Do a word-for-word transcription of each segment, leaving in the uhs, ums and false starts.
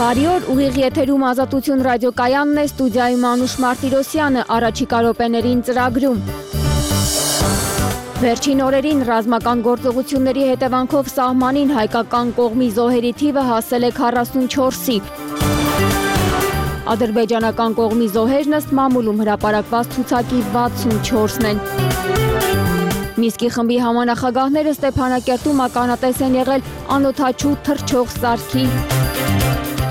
Բարի օր, ուղիղ եթերում Ազատություն ռադիոկայանն է, ստուդիայում Անուշ Մարտիրոսյանը, առաջիկա րոպեներին ծրագրում։ Վերջին օրերին ռազմական գործողությունների հետևանքով սահմանին հայկական կողմի զոհերի թիվը հասել է քառասունչորսի։ Ադրբեջանական կողմի զոհերն ըստ մամուլում հրապարակված ցուցակի վաթսունչորսն են։ Միսկի խմբի համանախագահները Ստեփանակերտում ականատես են եղել անօդաչու թռչող սարքի։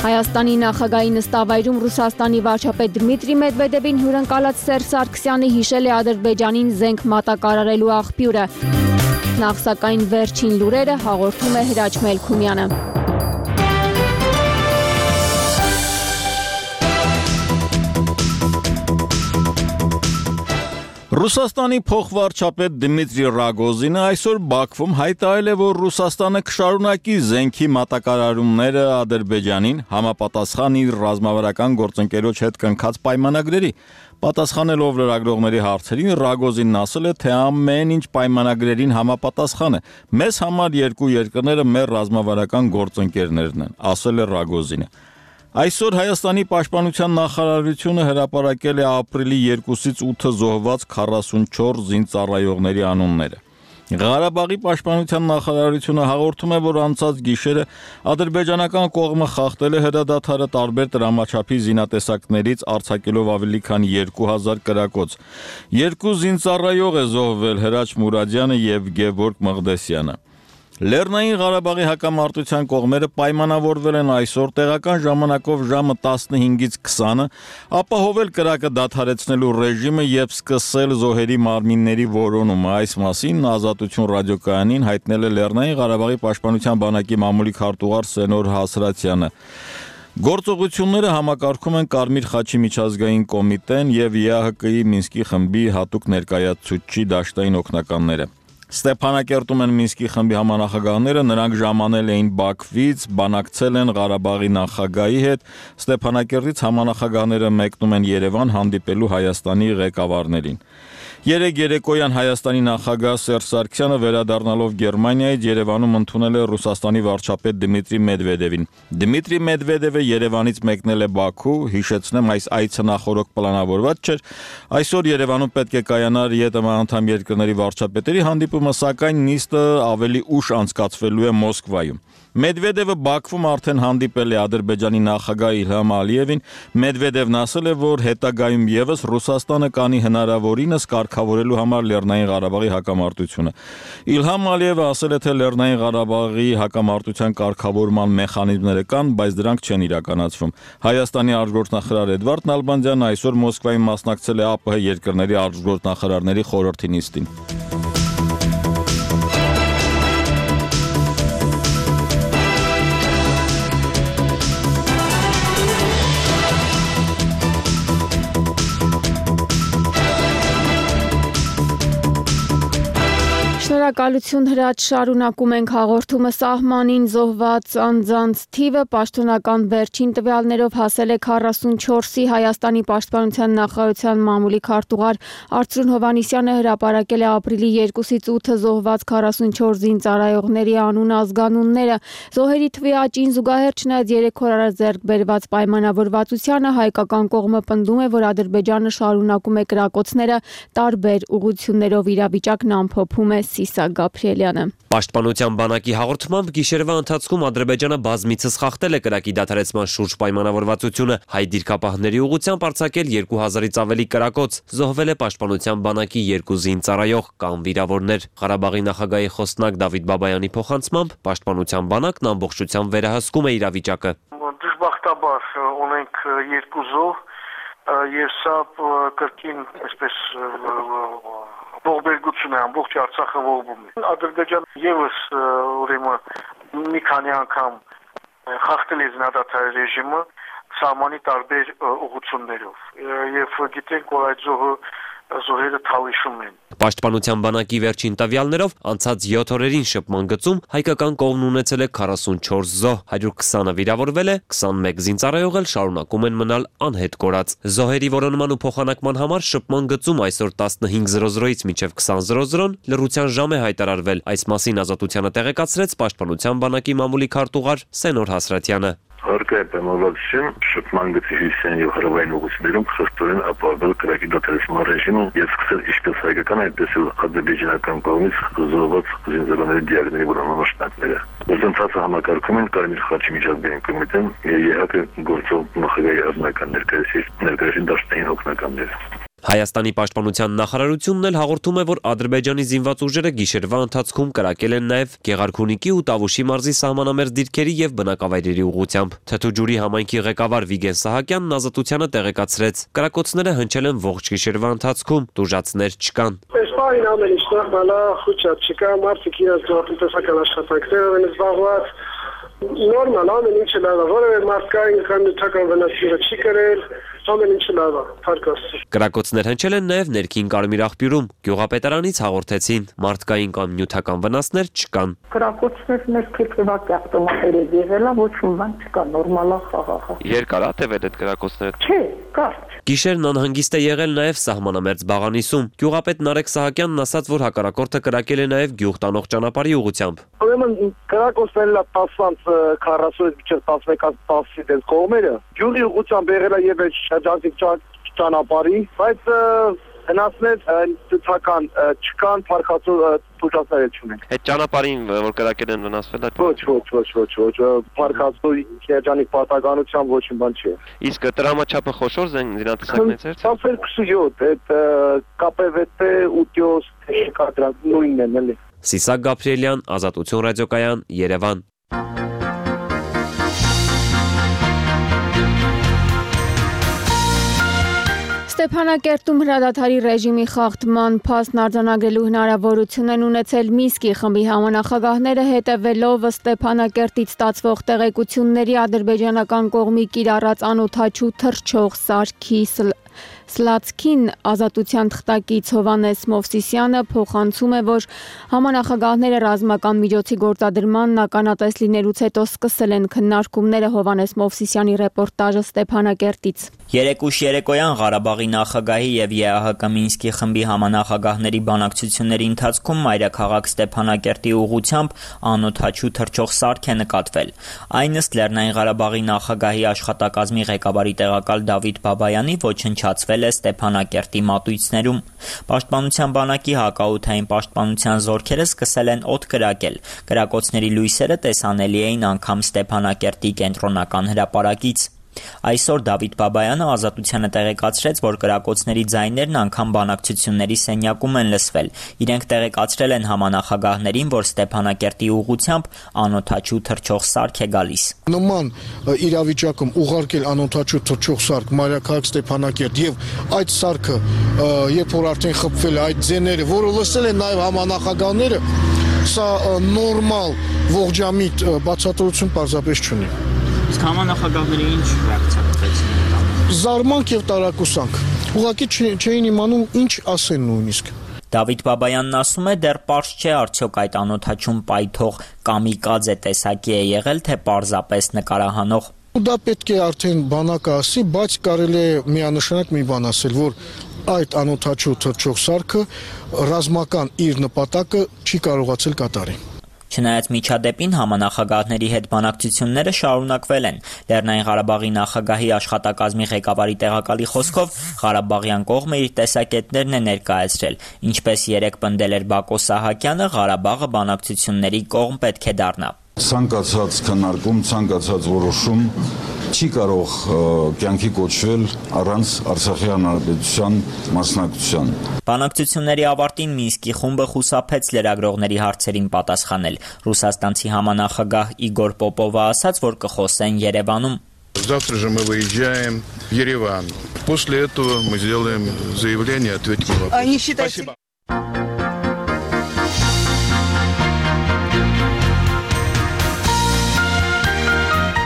Հայաստանի նախագահի նստավայրում Ռուսաստանի վարչապետ Դմիտրի Մեդվեդևին հյուրընկալած Սերժ Սարգսյանը հիշել է Ադրբեջանին զենք մատակարարելու աղբյուրը։ Նախ սակայն վերջին լուրերը հաղորդում է Հրաչ Մելքումյանը։ Ռուսաստանի փոխվարչապետ Դմիտրի Ռագոզինը այսօր Բաքվում հայտարարել է, որ Ռուսաստանը կշարունակի զենքի մատակարարումները Ադրբեջանին համապատասխան իր ռազմավարական գործընկերոջ հետ կնքած պայմանագրերի։ Պատասխանելով լրագրողների հարցերին Ռագոզինն ասել է, թե ամեն ինչ պայմանագրերին համապատասխան է։ Մեզ համար երկու երկրները մեր ռազմավարական գործընկերներն են, ասել է Ռագոզինը։ Այսօր Հայաստանի պաշտպանության նախարարությունը հրապարակել է ապրիլի երկուսից ութը զոհված քառասունչորս զինծառայողների անունները։ Ղարաբաղի պաշտպանության նախարարությունը հաղորդում է, որ անցած գիշերը ադրբեջանական կողմը խախտել է հրադադարը տարբեր տրամաչափի զինատեսակներից արձակելով ավելի քան երկու հազար կրակոց։ Երկու զինծառայող է զոհվել՝ Հրաչ Մուրադյանը եւ Գևորգ Մղդեսյանը։ Լեռնային Ղարաբաղի հակամարտության կողմերը պայմանավորվել են այսօր տեղական ժամանակով ժամը տասնհինգից քսանը ապահովել կրակը դադարեցնելու ռեժիմը եւ սկսել զոհերի մարմինների որոնումը։ Այս մասին Ազատություն ռադիոկայանին հայտնել է Լեռնային Ղարաբաղի պաշտպանության բանակի մամուլի քարտուղար Սենոր Հասրատյանը։ Գործողությունները համակարգում են Կարմիր խաչի միջազգային կոմիտեն եւ ԵԱՀԿ-ի Մինսկի խմբի հատուկ ներկայացուցիչ դաշտային օգնականները։ Ստեփանակերտում են Մինսկի խմբի համանախագահները, նրանք ժամանել էին Բաքվից, բանակցել են Ղարաբաղի նախագահի հետ, Ստեփանակերտից համանախագահները մեկնում են Երևան հանդիպելու Հայաստանի ղեկավարներին։ Երեկ երեկոյան Հայաստանի նախագահ Սերժ Սարգսյանը վերադառնալով Գերմանիայից Երևանում ընդունել է Ռուսաստանի վարչապետ Դմիտրի Մեդվեդևին։ Դմիտրի Մեդվեդևը Երևանից մեկնել է Բաքու, հիշեցնեմ, այս այցը նախօրոք պլանավորված չէր։ Այսօր Երևանում պետք է կայանար ԵՏՄ անդամ երկրների վարչապետերի հանդիպումը, սակայն նիստը ավելի ուշ անցկացվելու է Մոսկվայում։ Մեդվեդևը Բաքվում արդեն հանդիպել է Ադրբեջանի նախագահ Իլհամ Ալիևին։ Մեդվեդևն ասել է, որ հետագայում եւս Ռուսաստանը կանի հնարավորինս կարգավորելու համար Լեռնային Ղարաբաղի հակամարտությունը։ Իլհամ Ալիևը ասել է, թե Լեռնային Ղարաբաղի հակամարտության կարգավորման մեխանիզմները կան, բայց դրանք չեն իրականացվում։ Հայաստանի արտգործնախարար Էդվարդ Նալբանդյանն այսօր Մոսկվայում մասնակցել է ԱՊՀ երկրների արտգործնախարարների խորհրդի նիստին։ Շնորհակալություն Հրաչ, շարունակում ենք հաղորդումը։ Սահմանին զոհված անձանց թիվը պաշտոնական վերջին տվյալներով հասել է քառասունչորսի։ Հայաստանի պաշտպանության նախարարության մամուլի քարտուղար Արծրուն Հովհաննիսյանը հրապարակել է ապրիլի երկուսից ութը զոհված քառասունչորս զինծառայողների անուն ազգանունները։ Զոհերի թվի աճին զուգահեռ, չնայած երեք օր առաջ ձեռք բերված պայմանավորվածությանը, հայկական կողմը պնդում է, որ Ադրբեջանը շարունակում է կրակոցները տարբեր ուղղություններով, իրավիճակն ամփոփում է Սիսա Գաբրիելյանը։ Պաշտպանության բանակի հաղորդմամբ գիշերվա ընթացքում Ադրբեջանը բազմիցս խախտել է կրակի դադարեցման շուրջ պայմանավորվածությունը, հայ դիրքապահների ուղղությամբ արձակել երկու հազարից ավելի կրակոց, զոհվել է պաշտպանության բանակի երկու զինծառայող կամ վիրավորներ։ Ղարաբաղի նախագահի խոսնակ Դավիթ Բաբայանի փոխանցմամբ պաշտպանության բանակն ամբողջությամբ վերահսկում է իրավիճակը։ Դժբախտաբար ունենք երկու զոհ եւ սա կրկին այսպես ողբերգություն է, ամբողջ Արցախը ողբում է։ Ադրբեջանը եւս ուրեմն մի քանի անգամ խախտել է զինադադարի ռեժիմը սահմանի տարբեր ուղղություններով եւ գիտենք, որ այդ զոհը զոհերը թալիշում են։ Պաշտպանության բանակի վերջին տվյալներով անցած յոթ օրերին շփման գծում հայկական կողմն ունեցել է քառասունչորս զոհ, հարյուր քսանը վիրավորվել է, քսանմեկ զինծառայող էլ շարունակում են մնալ անհետ կորած։ Զոհերի որոնման ու փոխանակման համար շփման գծում այսօր տասնհինգ զրո զրոից մինչև քսան զրո զրոն լռության ժամ է հայտարարվել։ Այս մասին Ազատությանը տեղեկացրեց պաշտպանության բանակի մամուլի քարտուղար Սենոր Հասրատյանը։ Հարկայ պայմանավորվածություն շփման գծի հյուսիսային եւ հարավային ուղղություններում խստորեն ապահովել կրակի դադարեցման ռեժիմը եւ սկսել ինչպես հայկական, այդպես էլ ադրբեջանական կողմից զոհված զինծառայողների դիագնոզի որոնումները։ Գործընթացը համակարգում են Կարմիր խաչի միջազգային կոմիտեն եւ ԵՀԿ գործող նախագահի ազնական ներկայացուցիչ դաշտային օգնականները։ Հայաստանի պաշտպանության նախարարությունն էլ հաղորդում է, որ Ադրբեջանի զինված ուժերը գիշերվա ընթացքում կրակել են նաև Գեղարքունիքի ու Տավուշի մարզի սահմանամերձ դիրքերի եւ բնակավայրերի ուղղությամբ։ Թթուջուրի համայնքի ղեկավար Վիգեն Սահակյանն ազատությանը տեղեկացրեց. կրակոցները հնչել են ողջ գիշերվա ընթացքում, տուժածներ չկան։ Այսպայն ամեն ինչ նորմալ է, խոչած չկա, մարդիկ իրենց գյուղատնտեսական աշխատանքներով են զբաղված։ Նորմալ ամեն ինչը լավ է, որևէ մարդկային կամ նյութական վնասները չի կրել, ամեն ինչը լավ է, փառքաստու։ Կրակոցներ հնչել են նաև ներքին Կարմիր աղբյուրում։ Գյուղապետարանից հաղորդեցին, մարդկային կամ նյութական վնասներ չկան։ Կրակոցներ ներքին ավտոմատերով եղել է, ոչ մի բան չկա, նորմալ է, խաղաղ է։ Երկար է տևել այդ կրակոցները։ Չէ, կարճ։ Գիշերն անհանգիստ է եղել նաև սահմանամերձ Բաղանիսում։ Գյուղապետ Նարեկ Սահակյանն ասաց, որ հակառակորդը կրակել է նաև գյուղ տանող ճանապարհի ուղղությամբ։ Ուրեմն կրակոցներն լա տասնից քառասունից մինչև տասնմեկից տասի դեպ կողմերը։ Գյուղի ուղղությամբ եղել է եւ շրջանցիկ ճանապարհի, բայց հնացներ ցուցական չկան, փառքացու տուժածներ չունենք։ Այդ ճանապարհին, որ կրակել են վնասվել է։ Ոչ, ոչ, ոչ, ոչ, ոչ, փառքացու երջանիկ պատականությամբ ոչ մի բան չի։ Իսկ տրամաչափը խոշոր զինատեսակներից էր։ Սաֆեր քսույոթ, այդ կապվտ ութ կա դրանք նույնն են, էլի։ Սիսակ Գաբրիելյան, Ազատություն ռադիոկայան, Երևան։ Ստեփանակերտում հրադադարի ռեժիմի խախտման փաստն արձանագրելու հնարավորություն են ունեցել Մինսկի խմբի համանախագահները, հետևելով Ստեփանակերտից ստացվող տեղեկությունների ադրբեջանական կողմի կիրառած անօդաչու թռչող սարքի Սլացքին ազատության թղթակից Հովանես Մովսիսյանը փոխանցում է, որ համանախագահները ռազմական միջոցի գործադրմանն ականատես լինելուց հետո սկսել են քննարկումները։ Հովանես Մովսիսյանի ռեպորտաժը Ստեփանակերտից։ Երեկուշ երեկոյան Ղարաբաղի նախագահի եւ ԵԱՀԿ Մինսկի խմբի համանախագահների բանակցությունների ընթացքում մայրաքաղաք Ստեփանակերտի ուղղությամբ անօդաչու թռչող սարք է նկատվել։ Այն ըստ Լեռնային Ղարաբաղի նախագահի աշխատակազմի ղեկավարի տեղակալ Դավիթ Բաբայանի ոչնչացվել է Ստեփանակերտի մատույցներում։ Պաշտպանության բանակի հակաօդային պաշտպանության զորքերը սկսել են օդ կրակել։ Կրակոցների լույսերը տեսանելի էին անգամ Ստեփանակերտի կենտրոնական հրապարակից։ Այսօր Դավիթ Բաբայանը ազատությանը տեղեկացրեց, որ կրակոցների ձայներն անգամ բանակցությունների սենյակում են լսվել։ Իրենք տեղեկացրել են համանախագահներին, որ Ստեփանակերտի ուղղությամբ անօդաչու թռչող սարք է գալիս։ Նման իրավիճակում ուղարկել անօդաչու թռչող սարք մայրաքաղաք Ստեփանակերտ եւ այդ սարքը, երբ որ արդեն խփվել է, այդ ձեները, որը լսել են նաեւ համանախագահները, սա նորմալ ողջամիտ բացատրություն պարզապես չունի։ Իսկ համանախագահները ինչ ռեակցիա տվեցին։ Զարմանք եւ տարակուսանք։ Ուղղակի չէին իմանում ինչ ասեն նույնիսկ։ Դավիթ Բաբայանն ասում է, դեռ պարզ չէ արդյոք այդ անօդաչուն պայթող կամիկաձե տեսակի է եղել, թե պարզապես նկարահանող։ Դա պետք է արդեն բանակը ասի, բայց կարելի է միանշանակ մի բան ասել, որ այդ անօդաչու թռչող սարքը ռազմական իր նպատակը չի կարողացել կատարել։ Չնայած միջադեպին համանախագահների հետ բանակցությունները շարունակվել են։ Լեռնային Ղարաբաղի նախագահի աշխատակազմի ղեկավարի տեղակալի խոսքով Ղարաբաղյան կողմը իր տեսակետներն է ներկայացրել։ Ինչպես երեկ պնդել էր Բակո Սահակյանը, Ղարաբաղը բանակցությունների կողմ պետք է դառնա։ Ցանկացած քննարկում, ցանկացած որոշում չի կարող կյանքի կոչվել առանց Արցախի հանրապետության մասնակցության։ Բանակցությունների ավարտին Մինսկի խումբը խուսափեց լրագրողների հարցերին պատասխանել։ Ռուսաստանցի համանախագահ Իգոր Պոպովը ասաց, որ կխոսեն Երևանում։ Завтра же мы выезжаем в Ереван. После этого мы сделаем заявление, ответим на вопрос. Спасибо.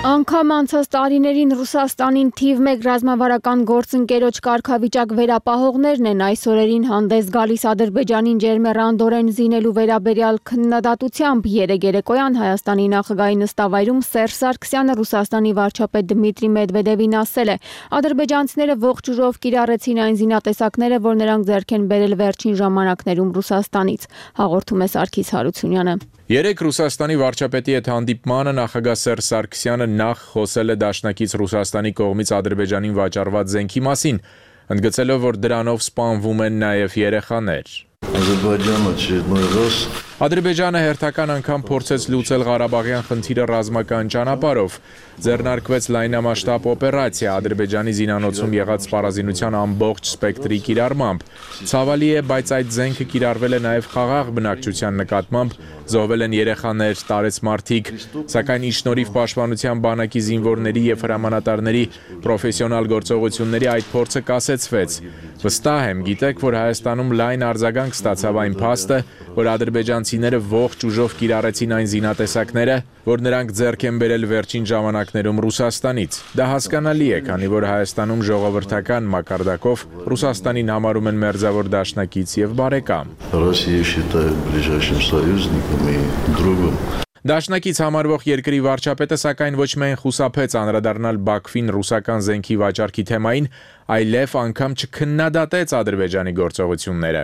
Անգամ անցած տարիներին Ռուսաստանին թիվ մեկ ռազմավարական գործընկերոջ կարգավիճակ վերապահողներն են այս օրերին հանդես գալիս Ադրբեջանին ջերմեռանդորեն զինելու վերաբերյալ քննադատությամբ։ Երեկ երեկոյան Հայաստանի նախագահի նստավայրում Սերժ Սարգսյանը Ռուսաստանի վարչապետ Դմիտրի Մեդվեդևին ասել է. ադրբեջանցիները ողջ ուժով կիրառեցին այն զինատեսակները, որ նրանք ձեռք են բերել վերջին ժամանակներում Ռուսաստանից։ Հաղորդում է Սարգիս Հարությունյանը։ Երեք Ռուսաստանի վարչապետի հետ հանդիպմանը նախագահ Սերժ Սարգսյանը նախ խոսել է դաշնակից Ռուսաստանի կողմից Ադրբեջանին վաճառված զենքի մասին, ընդգծելով, որ դրանով սպանվում են նաև երեխաներ։ Ադրբեջանը հերթական անգամ փորձեց լուծել Ղարաբաղյան խնդիրը ռազմական ճանապարհով, ձեռնարկվեց լայնամասշտաբ օպերացիա Ադրբեջանի զինանոցում եղած սպառազինության ամբողջ սպեկտրի կիրառմամբ։ Ցավալի է, բայց այդ զենքը կիրառվել է նաև խաղաղ բնակչության նկատմամբ, զոհվել են երեխաներ, տարեց մարդիկ, սակայն ի շնորհիվ պաշտպանության բանակի զինվորների եւ հրամանատարների պրոֆեսիոնալ գործողությունների այդ փորձը կասեցվեց։ Վստահ եմ, գիտեք, որ Հայաստանում լայն արձագանք ստացավ այն փաստը, որ ադրբեջանցիները ողջ ուժով կիրառեցին այն զինատեսակները, որ նրանք ձեռք են բերել վերջին ժամանակներում Ռուսաստանից։ Դա հասկանալի է, քանի որ Հայաստանում ժողովրդական մակարդակով Ռուսաստանին համարում են մերձավոր դաշնակից եւ բարեկամ։ Դաշնակից համարվող երկրի վարչապետը սակայն ոչ միայն խուսափեց անդրադառնալ Բաքվին ռուսական զենքի վաճառքի թեմային, այլև անգամ չքննադատեց Ադրբեջանի գործողությունները։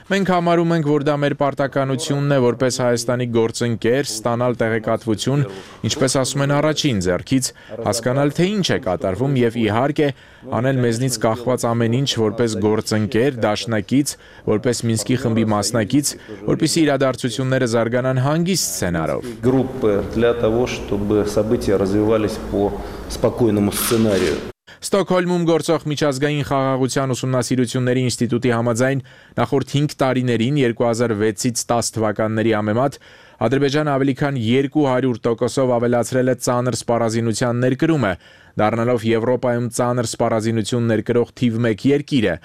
Մենք համարում ենք, որ դա մեր պարտականությունն է որպես Հայաստանի գործընկեր ստանալ տեղեկատվություն, ինչպես ասում են առաջին ձեռքից, հասկանալ թե ինչ է կատարվում եւ իհարկե անել մեզնից կախված ամեն ինչ որպես գործընկեր, դաշնակից, որպես Մինսկի խմբի մասնակից, որպեսզի իրադարձությունները զարգանան հանգիստ սցենարով։ Ստոկհոլմում գործող միջազգային խաղաղության ուսումնասիրությունների ինստիտուտի համաձայն նախորդ հինգ տարիներին երկու հազար վեցից տասը թվականների համեմատ Ադրբեջանը ավելի քան երկու հարյուր տոկոսով ավելացրել է ծանր սպառազինության ներկրումը, դառնալով Եվրոպայում ծանր սպառազինություն ներկրող թիվ մեկ երկիրը։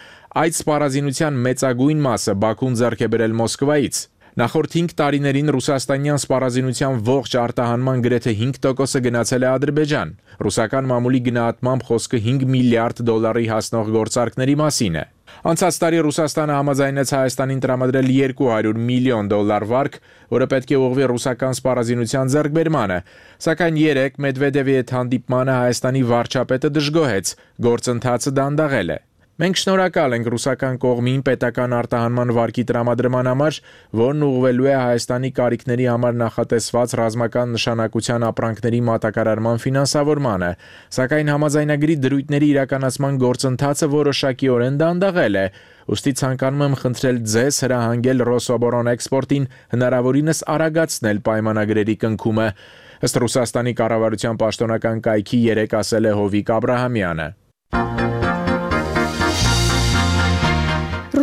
Այդ սպառազինության մեծագույն մասը Բաքուն ձեռք է բերել Մոսկվայից։ Նախորդ հինգ տարիներին ռուսաստանյան սպառազինության ողջ արտահանման գրեթե հինգ տոկոսը գնացել է Ադրբեջան։ Ռուսական մամուլի գնահատմամբ խոսքը հինգ միլիարդ դոլարի հասնող գործարքների մասին է։ Անցած տարի Ռուսաստանը համաձայնեց Հայաստանին տրամադրել երկու հարյուր միլիոն դոլար վարկ, որը պետք է ուղղվի ռուսական սպառազինության ձեռքբերմանը, սակայն երեք Մեդվեդևի հետ հանդիպմանը Հայաստանի վարչապետը դժգոհեց, գործընթացը դանդաղել է։ Մենք շնորհակալ ենք ռուսական կողմին պետական արտահանման վարկի տրամադրման համար, որն ուղղվելու է Հայաստանի կարիքների համար նախատեսված ռազմական նշանակության ապրանքների մատակարարման ֆինանսավորմանը, սակայն համաձայնագրի դրույթների իրականացման գործընթացը որոշակիորեն դանդաղել է, ուստի ցանկանում եմ խնդրել ձեզ հրահանգել Ռոսոբորանէքսպորտին հնարավորինս արագացնել պայմանագրերի կնքումը, ըստ Ռուսաստանի կառավարության պաշտոնական կայքի երեկ ասել է Հովիկ Աբրահամյանը։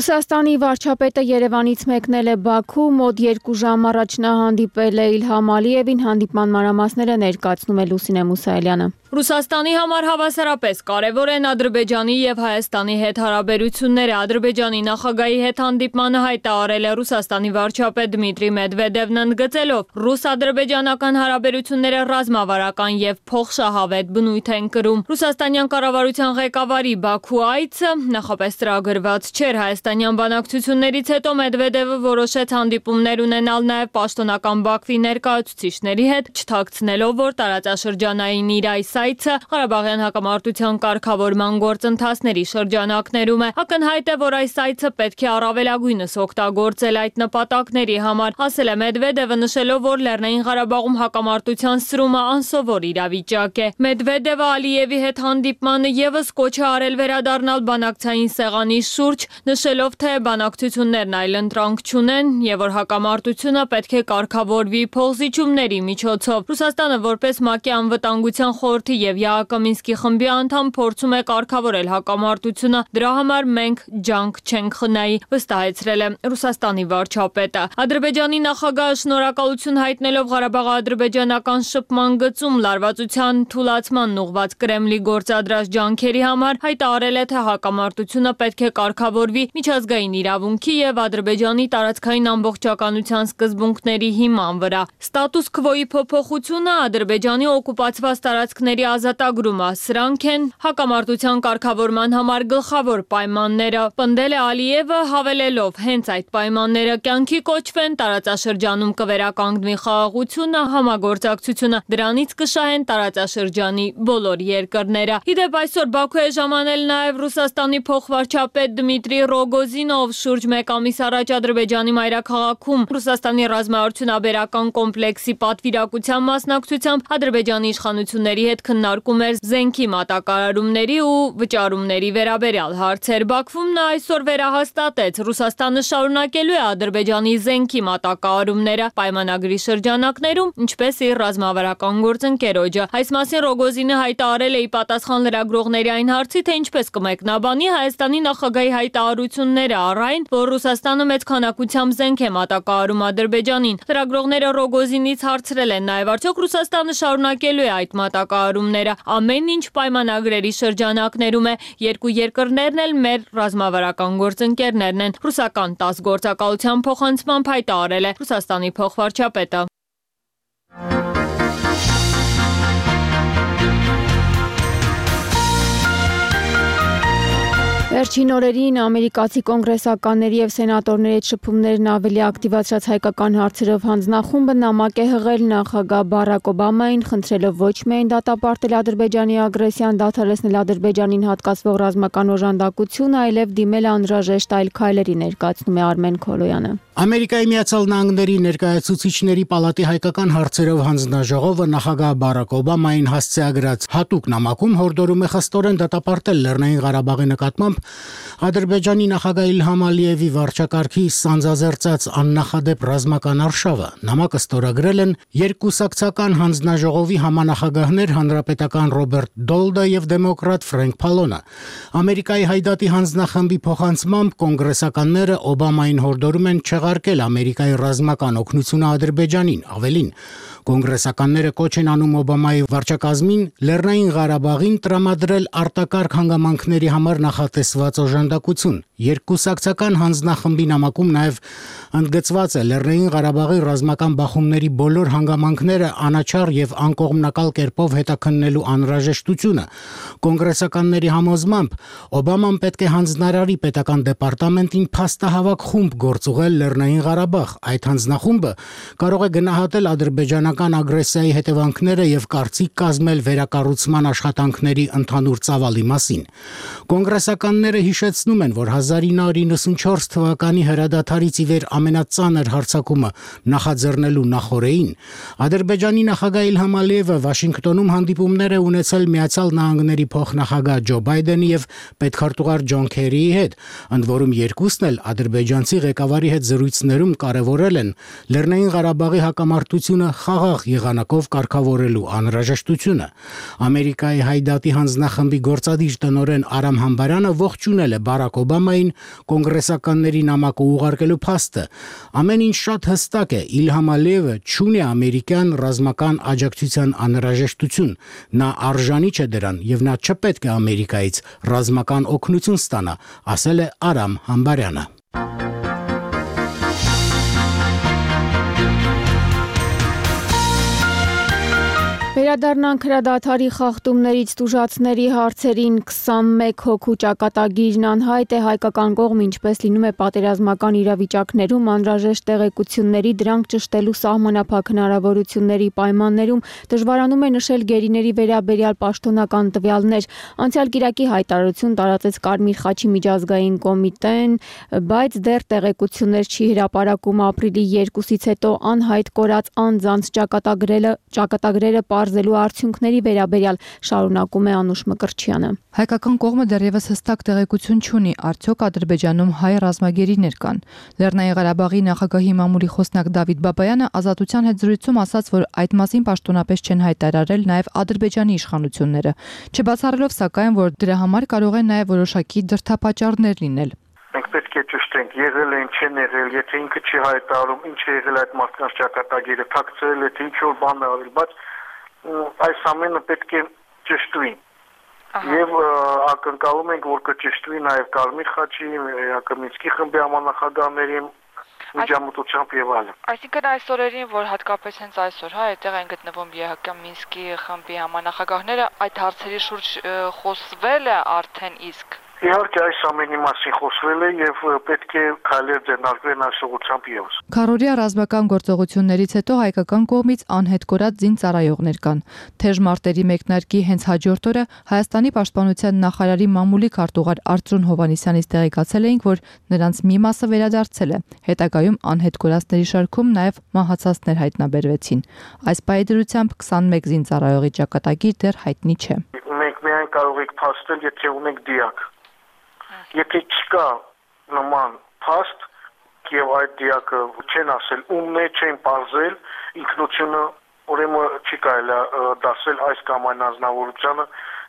Ռուսաստանի վարչապետը Երևանից մեկնել է Բաքու, մոտ երկու ժամ առաջ նա հանդիպել է Իլհամ Ալիևին, հանդիպման մանրամասները ներկայացնում է Լուսինե Մուսայելյանը։ Ռուսաստանի համար հավասարապես կարևոր են Ադրբեջանի եւ Հայաստանի հետ հարաբերությունները։ Ադրբեջանի նախագահի հետ հանդիպմանը հայտարարել է Ռուսաստանի վարչապետ Դմիտրի Մեդվեդևն, ընդգծելով՝ ռուս-ադրբեջանական հարաբերությունները ռազմավարական եւ փոխշահավետ բնույթ են կրում։ Ռուսաստանյան կառավարության ղեկավարի Բաքու այցը նախապես ծրագրված չէր։ Հայաստանյան բանակցություններից հետո Մեդվեդևը որոշեց հանդիպումներ ունենալ նաեւ պաշտոնական Բաքվի ներկայացուցիչների հետ, չթաքցնելով, որ տարածաշրջանային իր այս այցը Ղարաբաղյան հակամարտության կարգավորման գործընթացների շրջանակներում է։ Ակնհայտ է, որ այս այցը պետք է առավելագույնս օգտագործել այդ նպատակների համար, ասել է Մեդվեդևը, նշելով, որ Լեռնային Ղարաբաղում հակամարտության սրումը անսովոր իրավիճակ է։ Մեդվեդևը Ալիևի հետ հանդիպմանը եւս կոչ է արել վերադառնալ բանակցային սեղանի շուրջ, նշելով, թե բանակցություններն այլընտրանք չունեն եւ որ հակամարտությունը պետք է կարգավորվի փոխզիջումների միջոցով։ Ռուսաստանը որպես ՄԱԿ-ի անվտանգության խորհրդի եւ ԵԱՀԿ խմբի անդամ փորձում է կարգավորել հակամարտությունը, դրա համար մենք ջանք չենք խնայի, վստահեցրել է Ռուսաստանի վարչապետը։ Ադրբեջանի նախագահը շնորհակալություն հայտնելով Ղարաբաղ-ադրբեջանական շփման գծում լարվածության թուլացման ուղղված Կրեմլի գործադրած ջանքերի համար հայտարարել է, թե հակամարտությունը պետք է կարգավորվի միջազգային իրավունքի եւ Ադրբեջանի տարածքային ամբողջականության սկզբունքների հիման վրա։ Ստատուս քվոյի փոփոխությունը Ադրբեջանի օկուպացված տարածքների զինվորների ազատագրումը։ Սրանք են հակամարտության կարգավորման համար գլխավոր պայմանները։ Պնդել է Ալիևը, հավելելով, հենց այդ պայմանները կյանքի կոչվեն, տարածաշրջանում կվերականգնվի խաղաղությունը, համագործակցությունը, դրանից կշահեն տարածաշրջանի բոլոր երկրները։ Իդեպ այսօր Բաքու է ժամանել նաև Ռուսաստանի փոխվարչապետ Դմիտրի Ռոգոզինով շուրջ մեկ ամիս առաջ Ադրբեջանի մայրաքաղաքում Ռուսաստանի ռազմաարդյունաբերական կոմպլեքսի պատվիրակության մասնակցությամբ Ադրբեջանի իշխանությունների հետ քննարկում էր զենքի մատակարարումների ու վճարումների վերաբերյալ հարցեր։ Բաքվում նա այսօր վերահաստատեց, Ռուսաստանը շարունակելու է Ադրբեջանի զենքի մատակարարումները պայմանագրի շրջանակներում, ինչպես իր ռազմավարական գործընկերոջը։ Այս մասին Ռոգոզինը հայտարարել է ի պատասխան լրագրողների այն հարցի, թե ինչպես կմեկնաբանի Հայաստանի նախագահի հայտարարությունները առ այն, որ Ռուսաստանը մեծ քանակությամբ զենք է մատակարարում Ադրբեջանին։ Լրագրողները Ռոգոզինից հարցրել են նաև, արդյոք Ռուսաստանը շարունակելու է այդ մատակարարումները, ամեն ինչ պայմանագրերի շրջանակներում է, երկու երկրներն էլ մեր ռազմավարական գործընկերներն են։ Ռուսական տաս գործակալության փոխանցմամբ հայտարարել է Ռուսաստանի փոխվարչապետը։ Վերջին օրերին ամերիկացի կոնգրեսականների եւ սենատորների հետ շփումներն ավելի ակտիվացրած հայկական հարցերով հանձնախումբը նամակ է հղել նախագահ Բարակ Օբամային, խնդրելով ոչ միայն դատապարտել Ադրբեջանի ագրեսիան, դադարեցնել Ադրբեջանին հատկացվող ռազմական օժանդակությունը, այլև դիմել անհրաժեշտ այլ քայլերի, ներկայացնում է Արմեն Քոլոյանը։ Ամերիկայի Միացյալ Նահանգների ներկայացուցիչների պալատի հայկական հարցերով հանձնաժողովը նախագահ Բարակ Օբամային հասցեագրած հատուկ նամակում հորդորում է խստորեն դատապարտել Լեռնային Ղարաբաղի նկատմամբ Ադրբեջանի նախագահ Իլհամ Ալիևի վարչակարգի սանձազերծած աննախադեպ ռազմական արշավը։ Նամակը ստորագրել են երկկուսակցական հանձնաժողովի համանախագահներ հանրապետական Ռոբերտ Դոլդը եւ դեմոկրատ Ֆրենկ Փալոնը։ Ամերիկայի հայդատի հանձնախմբի փոխանցմամբ կոնգրեսականները Օբամային հորդորում են չեղարկել Ամերիկայի ռազմական օգնությունը Ադրբեջանին։ Ավելին, կոնգրեսականները կոչ են անում Օբամայի վարչակազմին Լեռնային Ղարաբաղին տրամադրել արտակարգ հանգամանքների համար նախատեսված օժանդակություն։ Երկկուսակցական հանձնախմբի նամակում նաև ընդգծված է Լեռնային Ղարաբաղի ռազմական բախումների բոլոր հանգամանքները անաչառ եւ անկողմնակալ կերպով հետաքննելու անհրաժեշտությունը։ Կոնգրեսականների համոզմամբ Օբաման պետք է հանձնարարի պետական դեպարտամենտին փաստահավաք խումբ գործուղել Լեռնային Ղարաբաղ։ Այդ հանձնախումբը կարող է գնահատել ադրբեջանական ագրեսիայի հետևանքները եւ կարծիք կազմել վերակառուցման աշխատանքների ընդհանուր ծավալի մասին։ Կոնգրեսականները հիշեցնում են, որ հազար ինը հարյուր իննսունչորս թվականի հրադադարից ի վեր ամենածանր հարձակումը նախաձեռնելու նախօրեին Ադրբեջանի նախագահ Իլհամ Ալիևը Վաշինգտոնում հանդիպումներ է ունեցել Միացյալ Նահանգների փոխնախագահ Ջո Բայդենի եւ պետքարտուղար Ջոն Քերիի հետ, ընդ որում երկուսն էլ ադրբեջանցի ղեկավարի հետ զրույցներում կարևորել են Լեռնային Ղարաբաղի հակամարտությունը խաղաղ եղանակով կարգավորելու անհրաժեշտությունը։ Ամերիկայի հայդատի հանձնախմբի գործադիր տնօրեն Արամ Համբարյանը ողջունել է Բարակ Օբամային կոնգրեսականների նամակը ուղարկելու փաստը։ Ամեն ինչ շատ հստակ է, Իլհամ Ալիևը չունի ամերիկյան ռազմական աջակցության անհրաժեշտություն, նա արժանի չէ դրան եւ նա չպետք է Ամերիկայից ռազմական օգնություն ստանա, ասել է Արամ Համբարյանը։ Վերադառնանք հրադադարի խախտումներից տուժածների հարցերին քսանմեկ հոգու ճակատագիրն անհայտ է հայկական կողմ, ինչպես լինում է պատերազմական իրավիճակներում անհրաժեշտ տեղեկությունների դրանք ճշտելու սահմանափակ հնարավորությունների պայմաններում դժվարանում է նշել գերիների վերաբերյալ պաշտոնական տվյալներ։ Անցյալ կիրակի հայտարարություն տարածեց Կարմիր խաչի միջազգային կոմիտեն, բայց դեռ տեղեկություններ չի հրապարակում ապրիլի երկուսից հետո անհայտ կորած անձանց ճակատագրերը ճակատագրերը պարզելու արդյունքների վերաբերյալ շարունակում է Անուշ Մկրտչյանը։ Հայկական կողմը դեռևս հստակ տեղեկություն չունի, արդյոք Ադրբեջանում հայ ռազմագերիներ կան։ Լեռնային Ղարաբաղի նախագահի մամուլի խոսնակ Դավիթ Բաբայանը Ազատության հետ զրույցում ասաց, որ այդ մասին պաշտոնապես չեն հայտարարել նաև Ադրբեջանի իշխանությունները, չբացառելով սակայն, որ դրա համար կարող են նաև որոշակի դրդապատճառներ լինել։ Մենք պետք է ճշտենք, եղել են, չեն եղել, եթե ինքը չի հայտարարում, ինչ է եղել այդ մարդկանց ճակատագիրը, թաքցրել է, թե ինչ որ բան է արել, բայց այս ամենը պետք է ճշտվի։ Եվ ակնկալում ենք, որ կճշտվի նաև Կարմիր խաչի, Յակոմինսկի խմբի համանախագահների միջամտությամբ եւ այլն։ Այսինքն այս օրերին, որ հատկապես հենց այսօր, հա, այդտեղ են գտնվում ԵՀԿ Մինսկի խմբի համանախագահները, այդ հարցերի շուրջ խոսվել է արդեն իսկ։ Իհարկե այս ամենի մասին խոսվել է եւ պետք է քայլեր ձեռնարկվեն այս ուղղությամբ եւս։ Քարորիա ռազմական գործողություններից հետո հայկական կողմից անհետ կորած զինծառայողներ կան։ Թեժ մարտերի մեկնարկի հենց հաջորդ օրը Հայաստանի պաշտպանության նախարարի մամուլի քարտուղար Արծրուն Հովհաննիսյանից տեղեկացել էինք, որ նրանց մի մասը վերադարձել է։ Հետագայում անհետ կորածների շարքում նաեւ մահացածներ հայտնաբերվեցին։ Այս պայդրությամբ քսանմեկ զինծառայողի ճակատագիր դեռ հայտնի չէ։ Մենք միայն կարող ենք փաստել, եթե ունենք դիակ։ Եթե չկա նման փաստ եւ այդ դիակը չեն ասել ումն է, չեն բարձել ինքնությունը, ուրեմն չի կարելի դասել այս կամ այն անձնավորությանը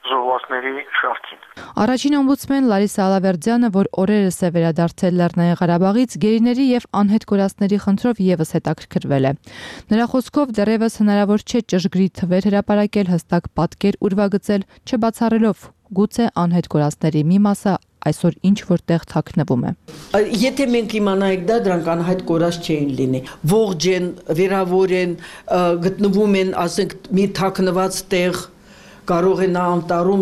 զոհվածների շարքին։ Առաջին օմբուդսմեն Լարիսա Ալավերդյանը, որ օրերս է վերադարձել Լեռնային Ղարաբաղից, գերիների եւ անհետ կորածների խնդրով եւս հետաքրքրվել է։ Նրա խոսքով դեռևս հնարավոր չէ ճշգրիտ թվեր հրապարակել, հստակ պատկեր ուրվագծել, չբացառելով գուցե անհետ կորածների մի մասը այսօր ինչ որտեղ թաքնվում է։ Եթե մենք իմանայինք դա, դրանք անհայտ կորած չէին լինի։ Ողջ են, վերավոր են, գտնվում են, ասենք, մի թաքնված տեղ, կարող է նա անտառում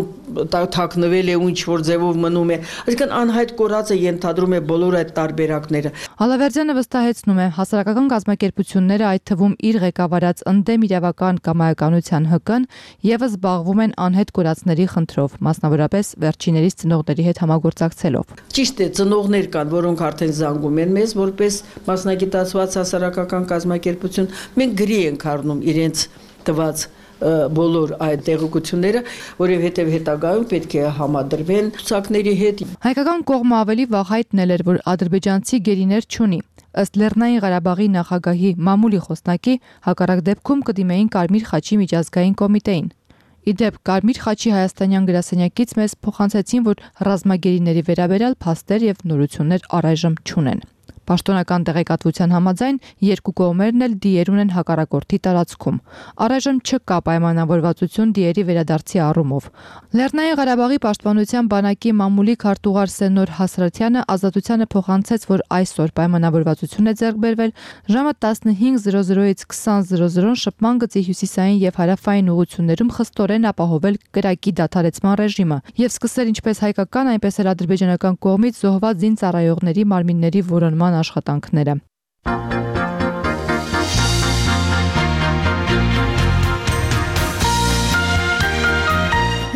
թաքնվել է ու ինչ որ ձևով մնում է։ Այսինքն անհայտ կորածը ենթադրում է բոլոր այդ տարբերակները։ Ալավերդյանը վստահեցնում է, հասարակական կազմակերպությունները, այդ թվում իր ղեկավարած ընդդեմ իրավական կամայականության ՀԿ-ն, եւս զբաղվում են անհետ կորածների խնդրով, մասնավորապես վերջիներիս ծնողների հետ համագործակցելով։ Ճիշտ է, ծնողներ կան, որոնք արդեն զանգում են մեզ որպես մասնագիտացված հասարակական կազմակերպություն։ Մենք գրի ենք առնում իրենց տված բոլոր այդ տեղեկությունները, որովհետև հետագայում պետք է համադրվեն ցուցակների հետ։ Հայկական կողմը ավելի վաղ հայտնել էր, որ ադրբեջանցի գերիներ չունի։ Ըստ Լեռնային Ղարաբաղի նախագահի մամուլի խոսնակի, հակառակ դեպքում կդիմեին Կարմիր խաչի միջազգային կոմիտեին։ Իդեպ Կարմիր խաչի հայաստանյան գրասենյակից մեզ փոխանցեցին, որ ռազմագերիների վերաբերյալ փաստեր եւ նորություններ առայժմ չունեն։ Պաշտոնական տեղեկատվության համաձայն երկու կողմերն էլ դիեր ունեն հակառակորդի տարածքում։ Առայժմ չկա պայմանավորվածություն դիերի վերադարձի առումով։ Լեռնային Ղարաբաղի պաշտպանության բանակի մամուլի քարտուղար Սենոր Հասրաթյանը ազատությանը փոխանցեց, որ այսօր պայմանավորվածություն է ձեռք բերվել ժամը տասնհինգ զրո զրոից քսան զրո զրոն շփման գծի հյուսիսային եւ հարավային ուղություններում խստորեն ապահովել կրակի դադարեցման ռեժիմը եւ սկսել ինչպես հայկական, այնպես էլ ադրբեջանական կողմից զոհված զինծառայողների մարմինների որոնման աշխատանքները։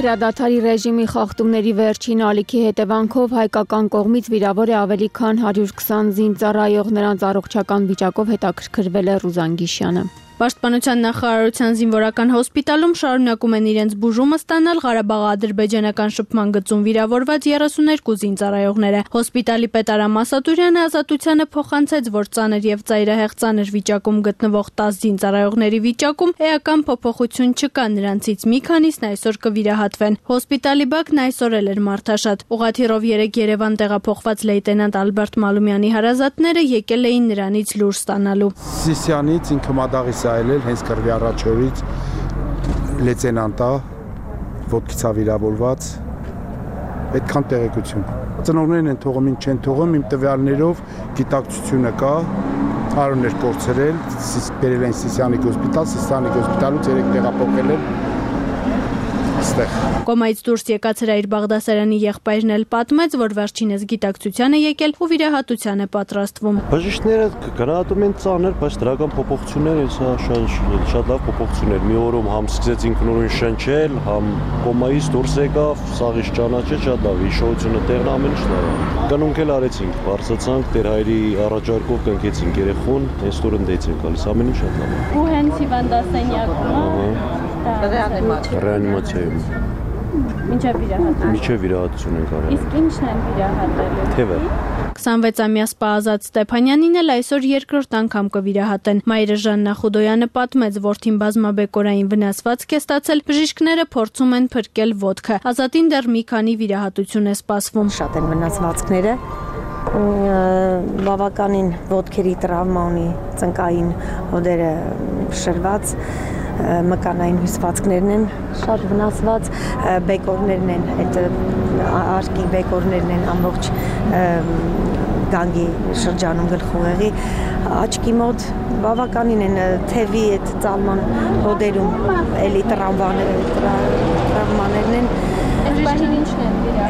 Հրադադարի ռեժիմի խախտումների վերջին ալիքի հետևանքով հայկական կողմից վիրավոր է ավելի քան հարյուր քսան զինծառայող, նրանց առողջական վիճակով հետաքրքրվել է Ռուզան Գիշյանը։ Պաշտպանության նախարարության զինվորական հոսպիտալում շարունակում են իրենց բուժումը ստանալ Ղարաբաղ-ադրբեջանական շփման գծում վիրավորված երեսուներկու զինծառայողները։ Հոսպիտալի պետ Արամ Ասատուրյանը ազատությանը փոխանցեց, որ ծանր եւ ծայրահեղ ծանր վիճակում գտնվող տասը զինծառայողների վիճակում էական փոփոխություն չկա, նրանցից մի քանիսն այսօր կվիրահատվեն։ Հոսպիտալի բակն այսօր էլ էր մարդաշատ։ Ուղղաթիռով երեկ Երևան տեղափոխված լեյտենանտ Ալբերտ Մալումյանի հարազատները եկել էին նրանից լուր ստանալու։ Սիսյանից ինքը մադաղի այլել հենց կրվի առաջորից լեյտենանտա ոտքից ավիրավորված այդքան տեղեկություն։ Ծնողներն են թողում, ինչ չեն թողում, իմ տվյալներով գիտակցությունը կա, արուններ կորցրել, բերել են Սիսյանիկ հոսպիտալ, Սիսյանիկ հոսպիտալից երեք տեղափոխել են այստեղ։ Կոմայից դուրս եկած Հրայր Բաղդասարյանի եղբայրն էլ պատմեց, որ վերջինս գիտակցության է եկել ու վիրահատության է պատրաստվում։ Բժիշկները գնահատում են ծանր, բայց դրական փոփոխություններ են, սա շատ շատ լավ փոփոխություններ։ Մի օրում համ սկսեց ինքնուրույն շնչել, համ կոմայից դուրս եկավ, սաղից ճանաչեց, շատ լավ, հիշողությունը տեղն ամեն ինչ լավ։ Կանոնք էլ արեցինք, բարձրացանք, Տեր Հայրի առաջարկով կնքեցինք երեխուն, հենց տուր ընդդեից են գալիս, ամեն ինչ շատ լավ է։ Ու հենց հիվանդասենյակում ռեանիմացիայում։ Մինչև վիրահատություն։ Մինչև վիրահատություն ենք արել։ Իսկ ի՞նչն են վիրահատելու։ Թևը։ քսանվեցամյա սպա Ազատ Ստեփանյանին էլ այսօր երկրորդ անգամ կվիրահատեն։ Մայրը Ժաննա Խուդոյանը պատմեց, որդին բազմաբեկորային վնասվածք է ստացել, բժիշկները փորձում են փրկել ոտքը։ Ազատին դեռ մի քանի վիրահատություն է սպասվում։ Շատ են վնասվածքները, բավականին ոտքերի տրավմա ունի, ծնկային հոդերը շրված, մկանային հյուսվածքներն են շատ վնասված, բեկորներն են, այդ արկի բեկորներն են ամբողջ գանգի շրջանում գլխուղեղի աչքի մոտ բավականին են թևի այդ ծալման հոդերում էլի տրավմաներն են։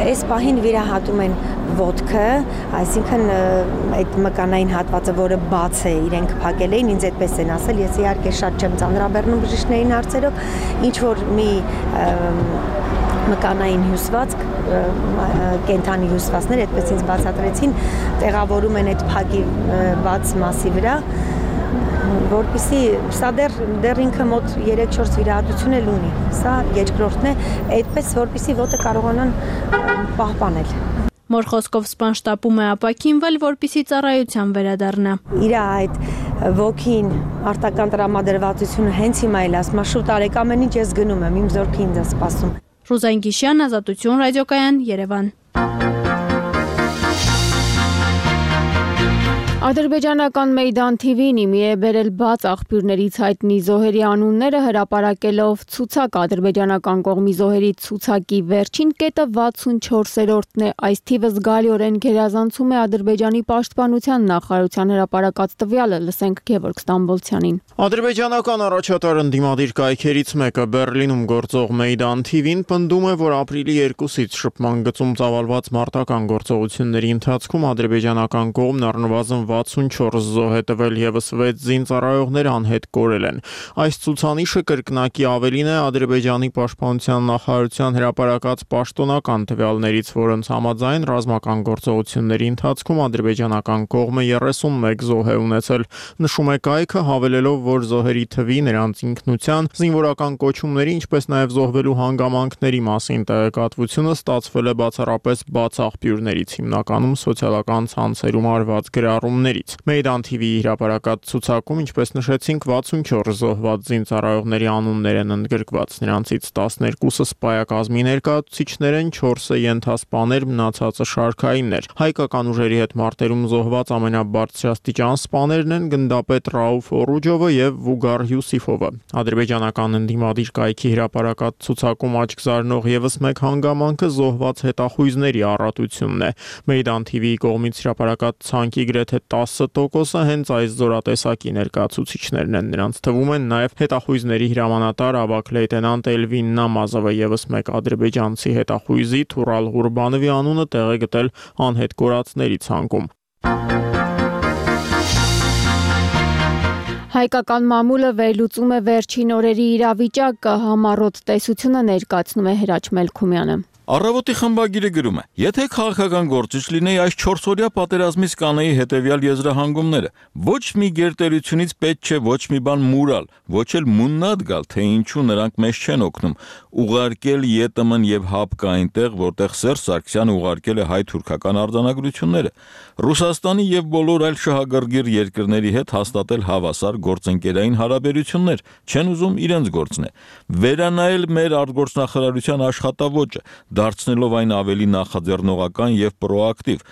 Այս պահին վիրահատում են ոտքը, այսինքն այդ մկանային հատվածը, որը բաց է, իրենք փակել էին, ինձ այդպես են ասել, ես իհարկե շատ չեմ ծանրաբեռնում բժիշկներին հարցերով, ինչ որ մի մկանային հյուսվածք, կենթանի հյուսվածքներ, այդպես ինձ բացատրեցին, տեղավորում են այդ փակի բաց մասի վրա, որպեսզի սա դեռ դեռ ինքը մոտ երեք-չորս վիրահատություն էլ ունի, սա երկրորդն է, այդպես որպեսզի ոտը կարողանան պահպանել։ Մոր խոսքով սպան շտապում է ապաքինվել, որպեսզի ծառայության վերադառնա։ Իր այդ ոգին, արտական տրամադրվածությունը հենց հիմա էլ ասում, շուտ արեք ամեն ինչ, ես գնում եմ, իմ զորքը ինձ է սպասում։ Ռուզան Գիշյան, Ազատություն ռադիոկայան, Երևան։ Ադրբեջանական Մեյդան թի վին իմի է բերել բաց աղբյուրներից հայտնի զոհերի անունները հրապարակելով ցուցակ ադրբեջանական կողմի զոհերի ցուցակի վերջին կետը վաթսունչորսերորդն է, այս թիվը զգալիորեն գերազանցում է Ադրբեջանի պաշտպանության նախարարության հրապարակած տվյալը, լսենք Գևորգ Ստամբոլցյանին։ Ադրբեջանական առաջատար ընդդիմադիր կայքերից մեկը Բերլինում գործող Մեյդան թի վին պնդում է, որ ապրիլի երկուսից շփման գծում ծավալված մարտական գործողությունների ընթացքում ադրբեջանական կողմն առնվազն վաթսունչորս զոհ է տվել եւս վեց զինծառայողներ անհետ կորել են։ Այս ցուցանիշը կրկնակի ավելին է Ադրբեջանի պաշտպանության նախարարության հրապարակած պաշտոնական տվյալներից, որոնց համաձայն ռազմական գործողությունների ընթացքում ադրբեջանական կողմը երեսունմեկ զոհ է ունեցել։ Նշում է կայքը, հավելելով, որ զոհերի թվի, նրանց ինքնության, զինվորական կոչումների, ինչպես նաև զոհվելու հանգամանքների մասին տեղեկատվությունը ստացվել է բացառապես բաց աղբյուրներից, հիմնականում սոցիալական ցանցերում արված գրառումներից։ Մեյդան թի վիի հրապարակած ցուցակում, ինչպես նշեցինք, վաթսունչորս զոհված զինծառայողների անուններ են ընդգրկված, նրանցից տասներկուսը սպայակազմի ներկայացուցիչներ են, չորսը ենթասպաներ, մնացածը շարքայիններ։ Հայկական ուժերի հետ մարտերում զոհված ամենաբարձրաստիճան սպաներն են գնդապետ Ռաուֆ Օրուջովը եւ Վուգար Յուսիֆովը։ Ադրբեջանական ընդդիմադիր կայքի հրապարակած ցուցակում աչք զարնող եւս մեկ հանգամանքը զոհված հետախույզների առատությունն է։ Մեյդան թի վիի կողմից հրապարակած ցանկի գրեթե տասը տոկոսը հենց այս զորատեսակի ներկայացուցիչներն են։ Նրանց թվում են նաև հետախույզների հրամանատար ավագ լեյտենանտ Էլվին Նամազովը, եւս մեկ ադրբեջանցի հետախույզի Թուրալ Ղուրբանովի անունը տեղ է գտել անհետ կորածների ցանկում։ Հայկական մամուլը վերլուծում է վերջին օրերի իրավիճակը, համառոտ տեսությունը ներկայացնում է Հրաչ Մելքումյանը։ Առավոտի խմբագիրը գրում է. եթե քաղաքական գործիչ լինեի, այս չորսօրյա պատերազմից կանեի հետևյալ եզրահանգումները. ոչ մի գերտերությունից պետք չէ ոչ մի բան մուրալ, ոչ էլ մուննատ գալ, թե ինչու նրանք մեզ չեն օգնում, ուղարկել ԵՏՄ-ն եւ ՀԱՊԿ այնտեղ, որտեղ Սերժ Սարգսյանը ուղարկել է հայ-թուրքական արձանագրությունները, Ռուսաստանի եւ բոլոր այլ շահագրգիռ երկրների հետ հաստատել հավասար գործընկերային հարաբերություններ, չեն ուզում իրենց գործն է, վերանայել մեր արտգործնախարարության աշխատավոճը, դարձնելով այն ավելի նախաձեռնողական եւ պրոակտիվ,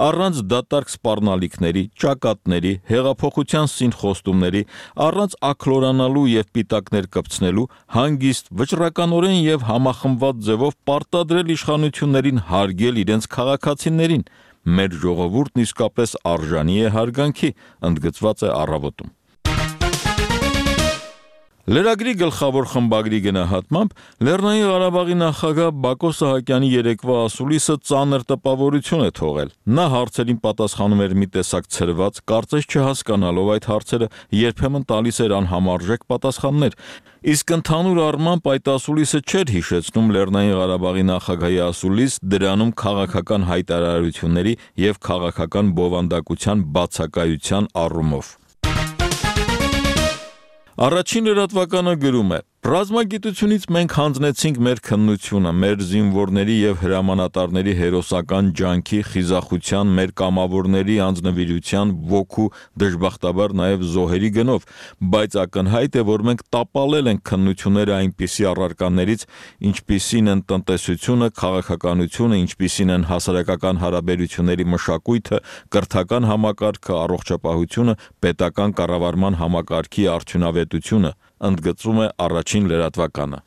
առանց դատարկ սպառնալիքների, ճակատների, հեղափոխության սինխոստումների, առանց աքլորանալու եւ պիտակներ կպցնելու, հանգիստ, վճռականորեն եւ համախմբված ձևով պարտադրել իշխանություններին հարգել իրենց քաղաքացիներին։ Մեր ժողովուրդն իսկապես արժանի է հարգանքի, ընդգծված է առավոտում։ Լրագրի գլխավոր խմբագրի գնահատմամբ Լեռնային Ղարաբաղի նախագահ Բակո Սահակյանի երեկվա ասուլիսը ծանր տպավորություն է թողել։ Նա հարցերին պատասխանում էր մի տեսակ ցրված, կարծես չհասկանալով այդ հարցերը, երբեմն տալիս էր անհամարժեք պատասխաններ։ Իսկ ընդհանուր առմամբ այդ ասուլիսը չէր հիշեցնում Լեռնային Ղարաբաղի նախագահի ասուլիս, դրանում քաղաքական հայտարարությունների եւ քաղաքական բովանդակության բացակայության առումով։ Առաջին լրատվականը գրում է. Ռազմագիտությունից մենք հանձնեցինք մեր քննությունը, մեր զինվորների եւ հրամանատարների հերոսական ջանքի, խիզախության, մեր կամավորների անձնվիրության, ոգու, դժբախտաբար նաեւ զոհերի գնով, բայց ակնհայտ է, որ մենք տապալել ենք քննությունները այնպիսի առարկաներից, ինչպիսին են տնտեսությունը, քաղաքականությունը, ինչպիսին են հասարակական հարաբերությունների մշակույթը, կրթական համակարգը, առողջապահությունը, պետական կառավարման համակարգի արդյունավետությունը, ընդգծում է առաջին լրատվականը։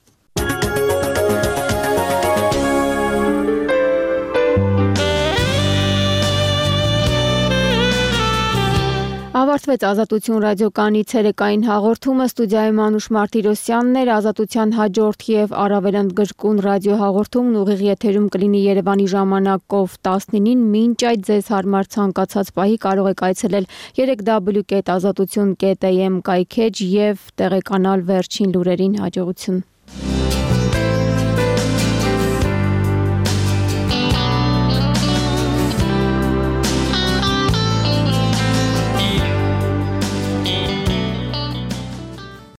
Ավարտվեց Ազատություն ռադիոկայանի ցերեկային հաղորդումը, ստուդիայում Մանուշ Մարտիրոսյանն էր, Ազատության հաջորդ եւ առավել ընդգրկուն ռադիոհաղորդումն ուղիղ եթերում կլինի Երևանի ժամանակով տասնինին, մինչ այդ ձեզ հարմար ցանկացած պահի կարող եք այցելել երեք w կետ ազատություն կետ a m կայքեջ եւ տեղեկանալ վերջին լուրերին։ Հաջողություն։